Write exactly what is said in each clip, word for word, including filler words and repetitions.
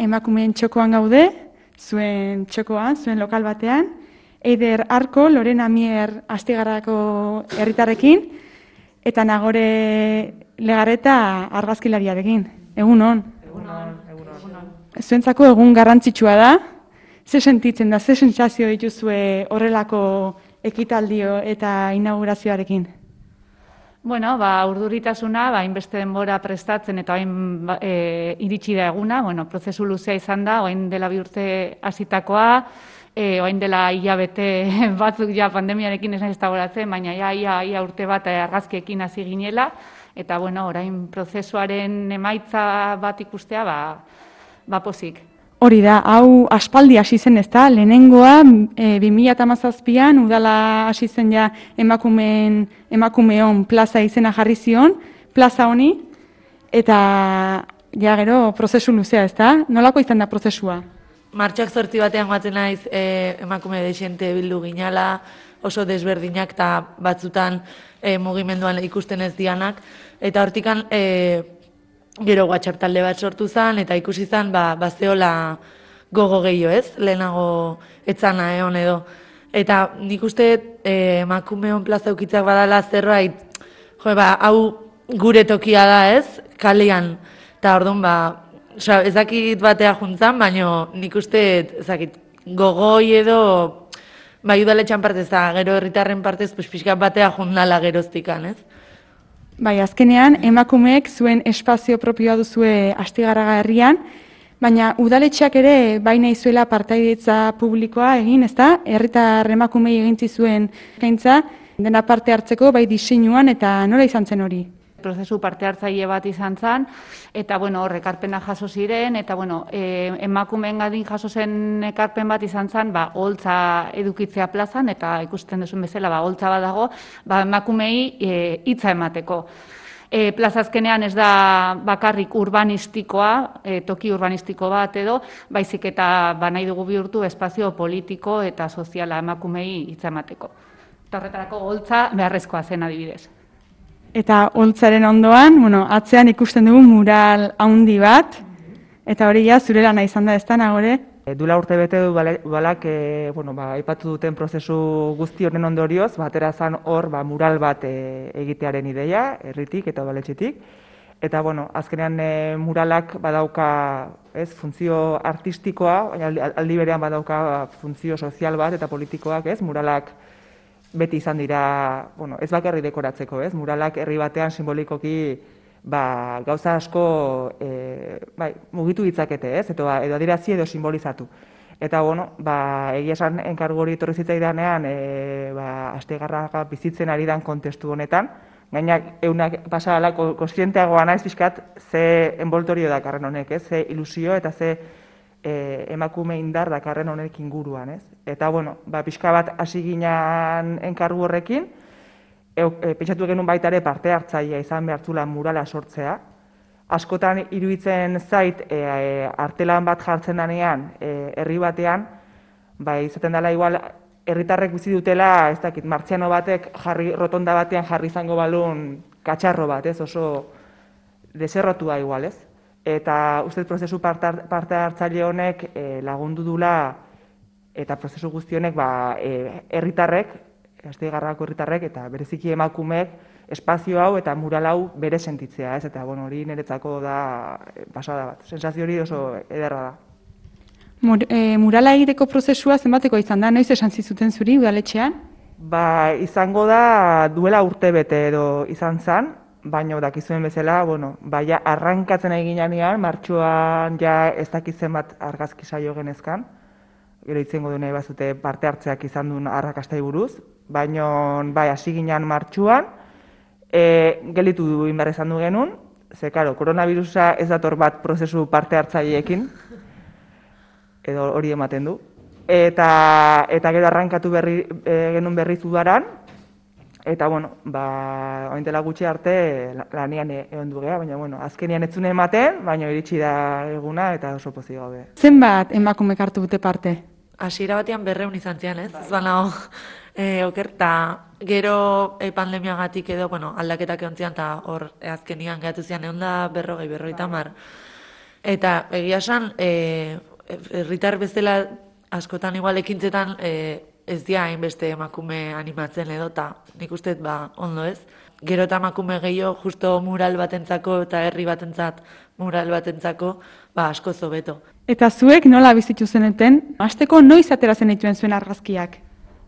emakumeen txokoan gaude, zuen txokoan, zuen lokal batean, Eider Arko, Lorena Mier Astigarrako herritarrekin, eta Nagore Legarreta argazkilariarekin. Egun on. Egun on, egun on. Zuentzako egun garrantzitsua da, ze sentitzen da, ze sentsazio dituzue horrelako ekitaldio eta inaugurazioarekin? Bueno, ba, urduritasuna, ba, hainbeste denbora prestatzen eta hain ba, e, iritsi da eguna, bueno, prozesu luzea izan da, orain dela bi urte hasitakoa, e, orain dela hilabete batzuk ja pandemiarekin esan ez dagoratzen, baina ja, ia, ia urte bat argazkiekin hasi ginela, eta bueno, orain prozesuaren emaitza bat ikustea, ba, ba pozik. Hori da, hau aspaldi hasi zen ez da, lehenengoa e, bi mila hamazazpian udala hasi zen ja emakumeen, emakumeon plaza izena jarri zion, plaza honi, eta ja gero prozesu luzea ez da, nolako izan da prozesua? Martxoak zortzi batean guatzen naiz e, emakume desiente bildu ginala, oso desberdinak eta batzutan e, mugimenduan ikusten ez dianak, eta hortikan e, gero WhatsApp talde bat sortu zen, eta ikusi zen, ba, bazeola gogo gehiago ez, lehenago etzana egon edo. Eta nik uste eh, emakumeon plaza eukitzak badala zerbait, jo, ba, hau gure tokia da ez, kalean, eta orduan, ba, oza, ezakit batea juntzan, baina nik uste, ezakit, gogoi edo, bai udaletxan partez, da, gero herritarren partez, pues, pixka batea jundala geroztikan, ez? Bai, azkenean, emakumeek zuen espazio propioa duzue Astigarraga herrian, baina udaletxeak ere baina izuela partaidetza publikoa egin, ezta? Herritar emakumei egintzi zuen eskaintza dena parte hartzeko bai diseinuan eta nola izan zen hori? Prozesu parte hartzaile bat izan zen, eta bueno, hor ekarpena jaso ziren, eta bueno, e, emakumeen gadin jaso zen ekarpen bat izan zen, ba, holtza edukitzea plazan, eta ikusten duzun bezala, ba, holtza bat dago, ba, emakumei e, hitza emateko. E, plaza azkenean ez da bakarrik urbanistikoa, e, toki urbanistiko bat edo, baizik eta ba, nahi dugu bihurtu espazio politiko eta soziala emakumei hitza emateko. Eta horretarako holtza beharrezkoa zen adibidez. Eta holtzaren ondoan, bueno, atzean ikusten dugu mural handi bat, eta hori ja zure lana izan da ez da, Nagore? Duela urte bete du balak, e, bueno, ba, aipatu duten prozesu guzti honen ondorioz, batera zan hor ba, mural bat e, egitearen ideia, herritik eta udaletxetik. Eta, bueno, azkenean e, muralak badauka, ez, funtzio artistikoa, baina aldi berean badauka funtzio sozial bat eta politikoak, ez, muralak beti izan dira, bueno, ez bakarri dekoratzeko, ez? Muralak herri batean simbolikoki ba, gauza asko e, bai, mugitu ditzakete, ez? Edo, edo adierazi edo simbolizatu. Eta, bueno, ba, egia esan enkargu hori etorri zitzaidanean, e, ba, Astigarraga bizitzen ari dan kontestu honetan, gaina eunak pasala kontzienteagoa naiz pixkat ze enboltorio dakarren honek, ez? Ze ilusio eta ze E, emakume indar dakarren honek inguruan, ez? Eta, bueno, ba, pixka bat hasi ginean enkargu horrekin, e, e, pentsatu genuen baita ere parte hartzailea izan behartzula murala sortzea. Askotan iruditzen zait, e, e, artelan bat jartzen danean, e, herri batean, ba, izaten dela igual, herritarrek bizi dutela, ez dakit, martziano batek jarri, rotonda batean jarri izango balun katxarro bat, ez? Oso deserrotua igual, ez? Eta uste prozesu parte hartzaile honek e, lagundu dula eta prozesu guzti honek ba, e, herritarrek, Astigarragako herritarrek eta bereziki emakumeek espazio hau eta mural hau bere sentitzea, ez? Eta bueno, hori niretzako da pasada bat. Sensazio hori oso ederra da. Mur, e, murala egiteko prozesua zenbateko izan da, noiz esan zizuten zuri udaletxean? Ba, izango da duela urte bete edo izan zen, baina dakizuen bezala, bueno, baina arrankatzen egin janean, martxoan ja ez dakitzen bat argazki saio genezkan, gero itzengo du nahi bazute parte hartzeak izan duen arrakastai buruz, baina bai, hasi ginean martxuan, e, gelitu du inbar izan du genuen, ze, karo, koronavirusa ez dator bat prozesu parte hartzaileekin, edo hori ematen du, eta, eta gero arrankatu berri, e, genuen berriz udaran, eta, bueno, ba, oin dela gutxi arte lanian egon du geha, baina, bueno, azkenian ez zuen ematen, baina iritsi da eguna eta oso pozik gaude. Zenbat emakumek hartu dute parte? Hasiera batean berreun izan zian, ez? Ez banago, e, okerta, gero e, pandemiagatik edo, bueno, aldaketak egon zian, eta hor e, azkenian gehatu zian, egon da berrogei, berrogeita hamar. Eta egia esan, e, herritar bezala askotan igual ekintzetan e, ez dia hainbeste emakume animatzen edo, eta nik uste ba, ondo ez. Gero eta emakume gehiago justo mural batentzako eta herri batentzat mural batentzako, ba, asko zobeto. Eta zuek nola bizitu zeneten, hasteko noiz atera zenituen zuen argazkiak?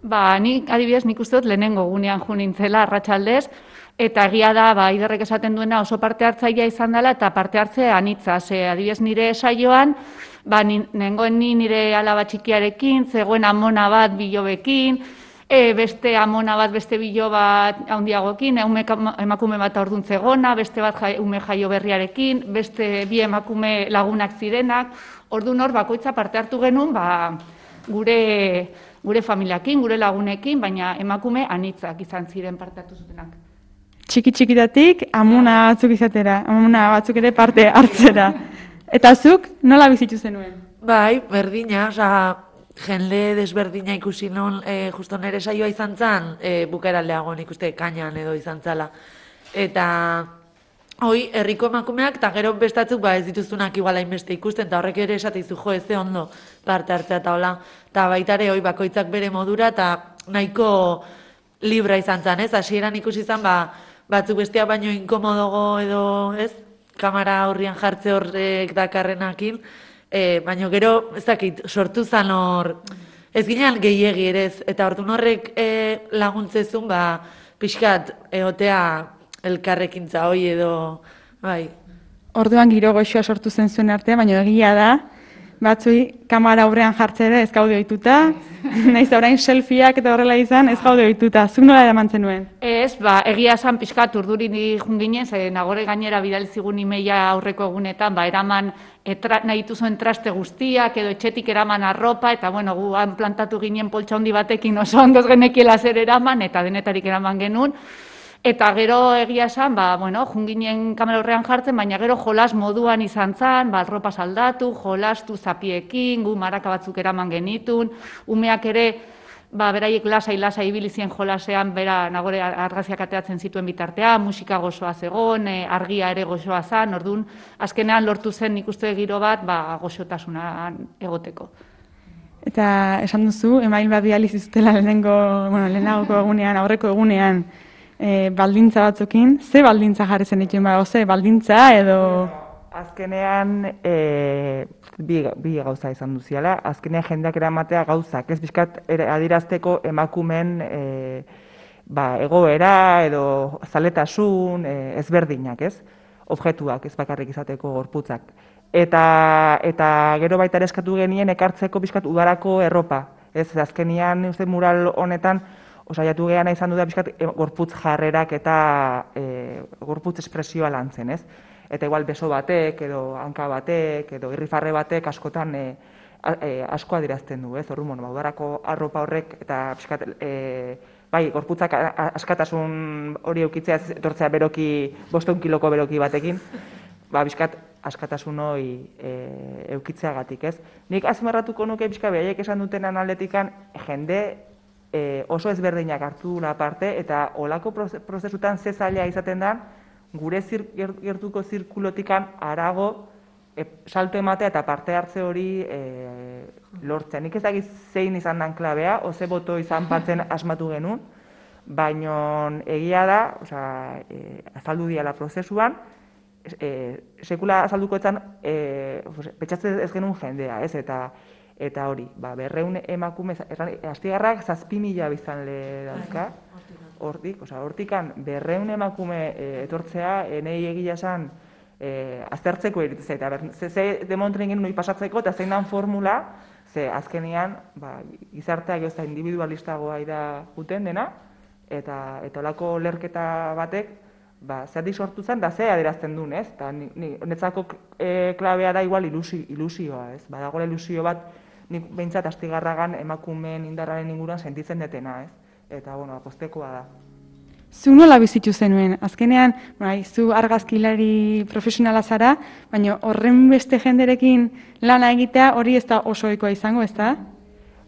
Ba, nik adibidez, nik uste dut lehenengo gunean jo nintzela arratsaldez, eta egia da, ba, Iderrek esaten duena oso parte hartzailea izan dela, eta parte hartze anitza. Ze, adibidez, nire saioan, ba, nengoen ni nire alaba txikiarekin, zegoen amona bat bilobekin, e, beste amona bat, beste bilo bat handiagoekin, ume, emakume bat aurdun zegona, beste bat jai, ume jaio berriarekin, beste bi emakume lagunak zirenak, orduan hor bakoitza parte hartu genuen, ba, gure, gure familiakin, gure lagunekin, baina emakume anitzak izan ziren parte hartu zutenak. Txiki-txikitatik amuna batzuk izatera, amuna batzuk ere parte hartzera. Eta zuk nola bizitu zenuen? Bai, berdina, oza, jende desberdina ikusi non, e, justo nire saioa izan zan, e, bukaeraldeago nik uste kainan edo izan zala. Eta hoi, herriko emakumeak, eta gero bestatzuk ba, ez dituztunak igual hainbeste ikusten, eta horrek ere esateizu jo, ez ze ondo parte hartzea eta hola. Eta baitare hoi bakoitzak bere modura, eta nahiko libra izan zan, ez? Hasieran ikusi izan, ba, batzuk bestea baino inkomodogo edo, ez? Kamera horrian jartze horrek dakarrenakin, e, baino gero, ez dakit, sortu zan hor, ez ginean gehiegi ere ez, eta orduan horrek e, laguntzezun, ba, pixkat, egotea elkarrekintza hoi edo, bai. Orduan giro goxoa sortu zen zuen artean, baina egia da, batzui kamera aurrean jartzera ez gaude ohituta, naiz da orain selfieak eta horrela izan ez gaude ohituta. Zuk nola eraman zenuen? Ez, ba, egia esan pixkat urduri jun ginen, ze nagore gainera bidali zigun imeia aurreko egunetan, ba, eraman etra, nahi dituzuen traste guztiak, edo etxetik eraman arropa, eta bueno, gu han plantatu ginen poltsa handi batekin oso ondoz genekiela zer eraman, eta denetarik eraman genuen. Eta gero egia esan, ba, bueno, junginen kamera horrean jartzen, baina gero jolas moduan izan zen, ba, arropa saldatu, jolastu zapiekin, gu maraka batzuk eraman genitun, umeak ere, ba, beraiek lasai-lasai ibili zien jolasean, bera nagore argazkiak ateratzen zituen bitartea, musika gozoa zegon, e, argia ere gozoa zen, orduan, azkenean lortu zen nik uste giro bat, ba, goxotasunan egoteko. Eta esan duzu, email bat bidali zizutela lehenengo, bueno, lehenagoko egunean, aurreko egunean, E, baldintza batzukin, ze baldintza jarri zen dituen ba, oze, baldintza edo... Azkenean, e, bi, bi gauza izan duziala, azkenean jendeak eramatea gauzak, ez bizkat adirazteko emakumen e, ba, egoera edo zaletasun e, ezberdinak, ez? Objektuak, ez bakarrik izateko gorputzak. Eta, eta gero baita ere eskatu genien ekartzeko bizkat udarako erropa, ez? Azkenean, uste mural honetan, osaiatu geana izan du da pixkat gorputz jarrerak eta e, gorputz espresioa lantzen, ez? Eta igual beso batek, edo hanka batek, edo irrifarre batek askotan e, a, e, asko adirazten du, ez? Orduan, bueno, udarako arropa horrek eta pixkat, e, bai, gorputzak askatasun hori eukitzea, etortzea beroki, boston kiloko beroki batekin, ba, pixkat askatasun hori e, eukitzeagatik, ez? Nik azmarratuko nuke pixka behaiek esan duten analetikan jende E, oso ezberdinak hartu dula parte, eta olako prozesutan ze zaila izaten da, gure zir, gertuko zirkulotikan arago e, salto ematea eta parte hartze hori e, lortzen. Nik ez dakit zein izan dan klabea, oze boto izan batzen asmatu genuen, baina egia da, osea, e, azaldu diala prozesuan, e, sekula azalduko etzan, e, petxatzen ez genuen jendea, ez, eta Eta hori, ba, berreun emakume, astigarrak zazpi mila biztan le dauzka, hortik, oza, hortikan berreun emakume e, etortzea, enei egia esan, e, aztertzeko eritzea, eta ber, ze, ze demontren genuen hori pasatzeko, eta zein dan formula, ze azkenean, ba, gizarteak ez da individualistagoa da guten dena, eta eta olako lerketa batek, ba, zerdik sortu zen, da ze adierazten duen, ez? Eta netzako e, klabea da igual ilusi, ilusioa, ez? Badagoela ilusio bat, nik behintzat astigarragan emakumeen indarraren inguruan sentitzen detena, ez? Eta, bueno, apostekoa da. Zu nola bizitu zenuen? Azkenean, bai, zu argazkilari profesionala zara, baina horren beste jenderekin lana egitea hori ez da oso ohikoa izango, ez da?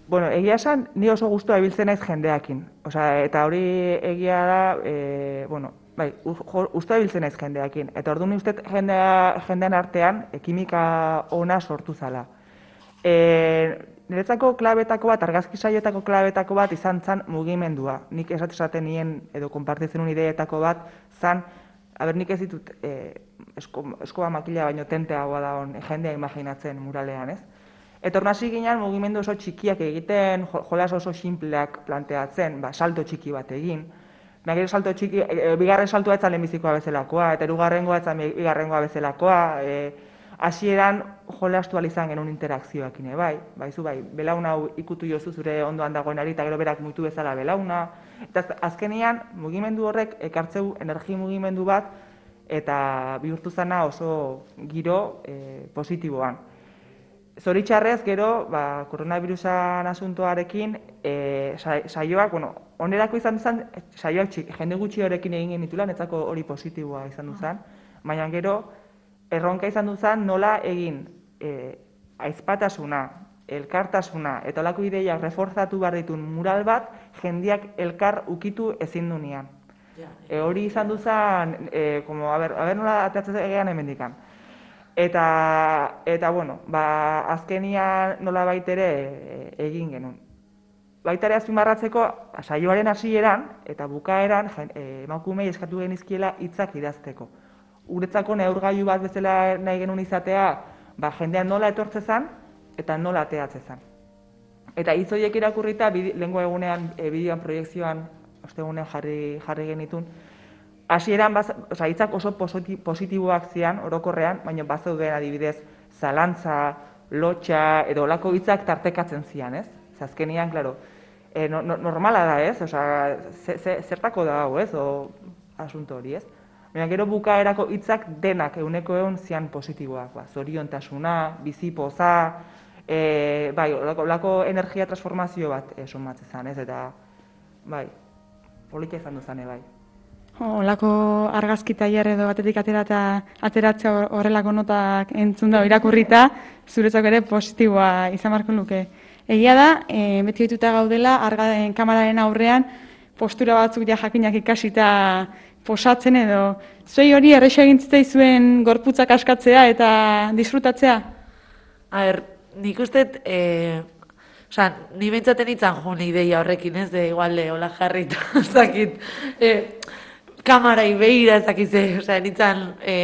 Bueno, egia esan, ni oso gustua ibiltzen naiz jendeakin. Osea, eta hori egia da, e, bueno, bai, uste biltzen naiz jendeakin. Eta orduan uste jendea, jendean artean e, kimika ona sortu zala. E, niretzako klabetako bat, argazki saioetako klabetako bat izan zan mugimendua. Nik esaten nien edo konpartitzen un ideetako bat zan, aber nik ez ditut e, esko, eskoba makila baino tenteagoa da on jendea imaginatzen muralean, ez? Eta hor hasi ginen mugimendu oso txikiak egiten, jolas oso sinpleak planteatzen, ba, salto txiki bat egin. Baina salto txiki, e, bigarren saltoa etzan lehenbizikoa bezalakoa, eta hirugarrengoa etzan bigarrengoa bezalakoa, e, hasieran jolastu izan genuen interakzioakin, bai, baizu bai, belauna hau ikutu jozu zure ondoan dagoenari, eta gero berak mutu bezala belauna. Eta azkenean, mugimendu horrek ekartzeu energi mugimendu bat, eta bihurtu zana oso giro e, positiboan. Zoritxarrez, gero, ba, koronavirusan asuntoarekin, e, saioak, bueno, onerako izan duzan, saioak txik, jende gutxi horrekin egin genituela, netzako hori positiboa izan duzan, baina gero, erronka izan duzan nola egin e, aizpatasuna, elkartasuna, eta olako ideiak reforzatu behar ditun mural bat, jendiak elkar ukitu ezin dunean. E, hori izan duzan, e, como, a ber, a ber nola ateatzen egean hemendikan. Eta, eta bueno, ba, azkenian nola baitere e, egin genuen. Baitare azpimarratzeko, saioaren hasieran eta bukaeran e, emakumei eskatu genizkiela hitzak idazteko. Uretzako neurgailu bat bezala nahi genuen izatea, ba, jendean nola etortzezan eta nola ateatzezan. Eta hitz horiek irakurrita, lehengo egunean, e, bideoan proiekzioan, ostegunean jarri, jarri genitun, hasieran, oza, hitzak oso positiboak zian, orokorrean, baina bazeuden adibidez, zalantza, lotxa, edo olako hitzak tartekatzen zian, ez? Azkenean, klaro, e, no, no, normala da, ez? Oza, ze, ze, zertako da hau, ez? O, asunto hori, ez? Baina gero bukaerako hitzak denak euneko egun zian positiboak, ba, zoriontasuna, bizipoza, e, bai, olako, olako energia transformazio bat e, somatzen zen, ez? Eta, bai, polita izan duzane, bai. Olako argazki tailer edo batetik atera ateratzea horrelako notak entzun da irakurrita, zuretzako ere positiboa izan beharko luke. Egia da, e, beti ohituta gaudela, argaden kameraren aurrean, postura batzuk ja jakinak ikasita posatzen edo, zuei hori erresa egin zitzaizuen gorputzak askatzea eta disfrutatzea? A ber, nik uste, e, oza, ni bentsaten itzan joan ideia horrekin, ez, de igual de hola jarrita, zakit, e, kamarai behira ezakize, osea, nintzen e,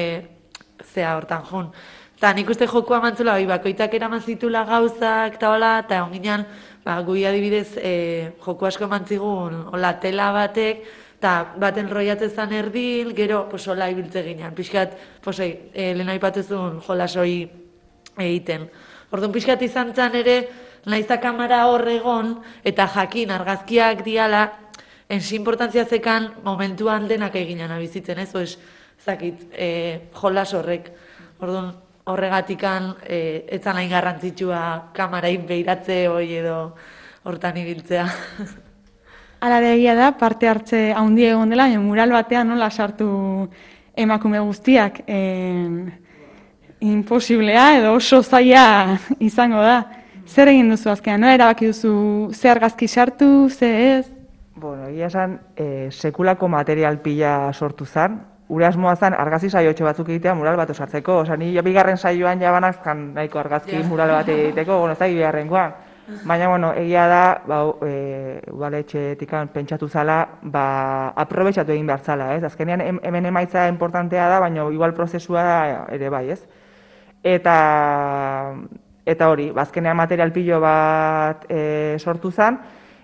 zea hortan jun. Eta nik uste jokua mantzula, bai, bakoitzak eraman zitula gauzak, eta hola, eta onginan, ba, gui adibidez, e, joku asko mantzigun, hola, tela batek, eta baten roiatzezan erdil, gero, pues, hola, ibiltze ginean. Pixkat, pues, e, lehen aipatuzun jolasoi egiten. Orduan, pixkat izan zan ere, naizta kamera horregon, eta jakin argazkiak diala, ensi importantzia zekan momentuan denak eginan abizitzen, ez? Pues, zakit, e, jolas horrek. Orduan, horregatikan, e, etzan hain garrantzitsua kamarain behiratze hoi edo hortan ibiltzea. Hala egia da, parte hartze haundi egon dela, mural batean nola sartu emakume guztiak. E, imposiblea edo oso zaila izango da. Zer egin duzu azkenean, nola erabaki duzu ze argazki sartu, ze ez? Bueno, egia esan, e, sekulako material pila sortu zen. Ure asmoa zen, argazki saiotxo batzuk egitea mural bat osartzeko. Osa, ni bigarren saioan jabanak zan nahiko argazki yeah. mural bat egiteko, bueno, ez da bigarrengoan. Baina, bueno, egia da, ba, e, udaletxetik pentsatu zala, ba, aprobetxatu egin behar zala, ez? Azkenean, hemen emaitza importantea da, baina igual prozesua da ere bai, ez? Eta, eta hori, azkenean material pilo bat e, sortu zen,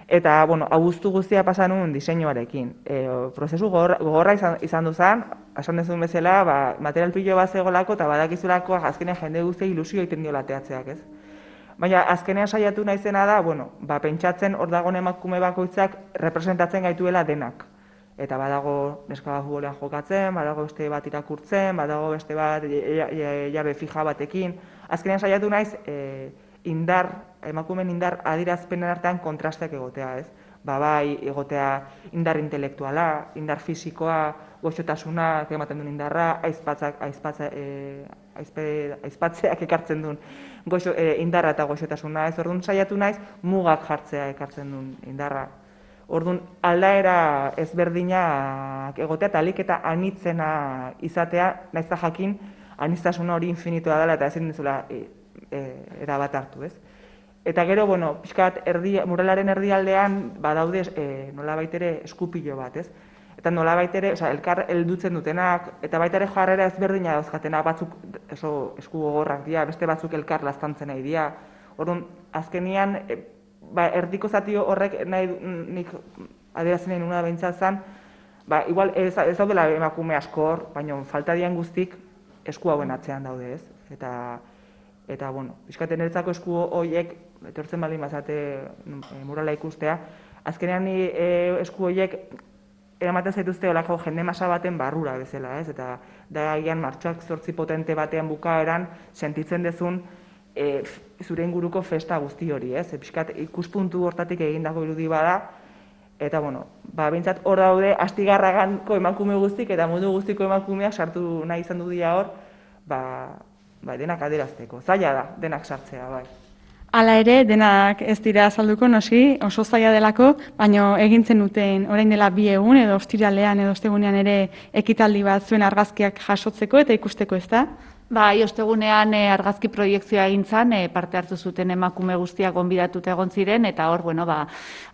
eta, bueno, abuztu guztia pasan un diseinuarekin. E, prozesu gogorra, gogorra izan, izan duzan, esan dezun bezala, ba, material pilo bat zegolako eta badakizulako azkenean jende guztia ilusio egiten dio lateatzeak, ez? Baina azkenean saiatu naizena da, bueno, ba, pentsatzen hor dagoen emakume bakoitzak representatzen gaituela denak. Eta badago neska bat futbolean jokatzen, badago beste bat irakurtzen, badago beste bat jabe fija batekin. Azkenean saiatu naiz, e, indar, emakumeen indar adierazpenen artean kontrasteak egotea, ez? Ba, bai, egotea indar intelektuala, indar fisikoa, goxotasuna, ematen duen indarra, aizpatzak, aizpatza, e, aizpe, aizpatzeak ekartzen duen goxo, e, indarra eta goxotasuna, ez? Orduan saiatu naiz, mugak jartzea ekartzen duen indarra. Orduan, aldaera ezberdinak egotea eta alik eta anitzena izatea, nahiz eta jakin, aniztasun hori infinitoa dela eta ezin dizula e, e, erabat hartu, ez? Eta gero, bueno, pixkat erdi, muralaren erdialdean badaude e, nolabait ere eskupilo bat, ez? Eta nolabait ere, oza, elkar heldutzen dutenak, eta baita ere jarrera ezberdina dauzkatenak, batzuk oso esku gogorrak dira, beste batzuk elkar laztantzen nahi dira. Orduan, azkenian, e, ba, erdiko zati horrek nahi nik adierazten nahi nuna behintzat zen, ba, igual ez, ez daudela emakume asko hor, baina falta dian guztik esku hauen atzean daude, ez? Eta, eta bueno, pixkaten eretzako esku horiek, etortzen baldin bazate e, murala ikustea, azkenean ni e, esku horiek eramaten zaituzte olako jende masa baten barrura bezala, ez? Eta da agian martxoak zortzi potente batean bukaeran sentitzen dezun e, zure inguruko festa guzti hori, ez? E, pixkat ikuspuntu hortatik egindako irudi bada, eta bueno, ba, behintzat hor daude Astigarraganko emakume guztik eta mundu guztiko emakumeak sartu nahi izan du dira hor, ba, ba, denak adierazteko. Zaila da, denak sartzea, bai. Hala ere, denak ez dira azalduko, noski, oso zaila delako, baina egintzen duten orain dela bi egun edo ostiralean edo ostegunean ere ekitaldi bat zuen argazkiak jasotzeko eta ikusteko, ez da? Bai, ostegunean e, argazki proiektzioa egin zen, e, parte hartu zuten emakume guztiak gonbidatuta egon ziren, eta hor, bueno, ba,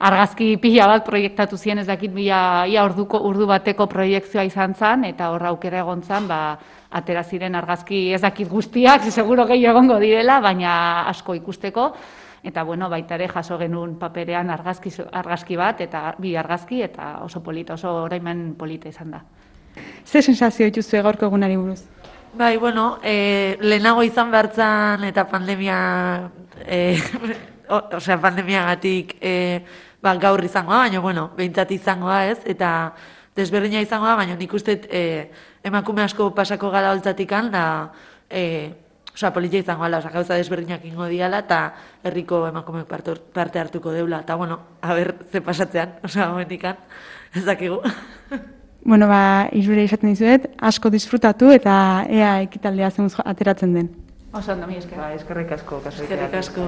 argazki pila bat proiektatu ziren, ez dakit ia, ia orduko, urdu bateko proiektzioa izan zen, eta hor aukera egon zen, ba, atera ziren argazki ez dakit guztiak, seguro gehiago egongo direla, baina asko ikusteko, eta bueno, baita ere jaso genuen paperean argazki, argazki bat, eta bi argazki, eta oso polita, oso oraimen polita izan da. Ze sensazio dituzue gaurko egunari buruz? Bai, bueno, e, lehenago izan behartzan eta pandemia, e, osea, pandemiagatik e, ba, gaur izangoa, baina, bueno, behintzat izangoa ez, eta desberdina izangoa, baina nik uste e, emakume asko pasako gala holtzatikan, da, e, osea, politia izangoa, osea, gauza desberdinak ingo diala, eta herriko emakumeak parte hartuko deula, eta, bueno, haber, ze pasatzean, osea, homenikan, ez dakigu. Bueno, ba, irure izaten dizuet, asko disfrutatu eta ea ekitaldea zemuz ateratzen den. Oso ondo, mi esker. Ba, eskerrik asko. Eskerrik asko.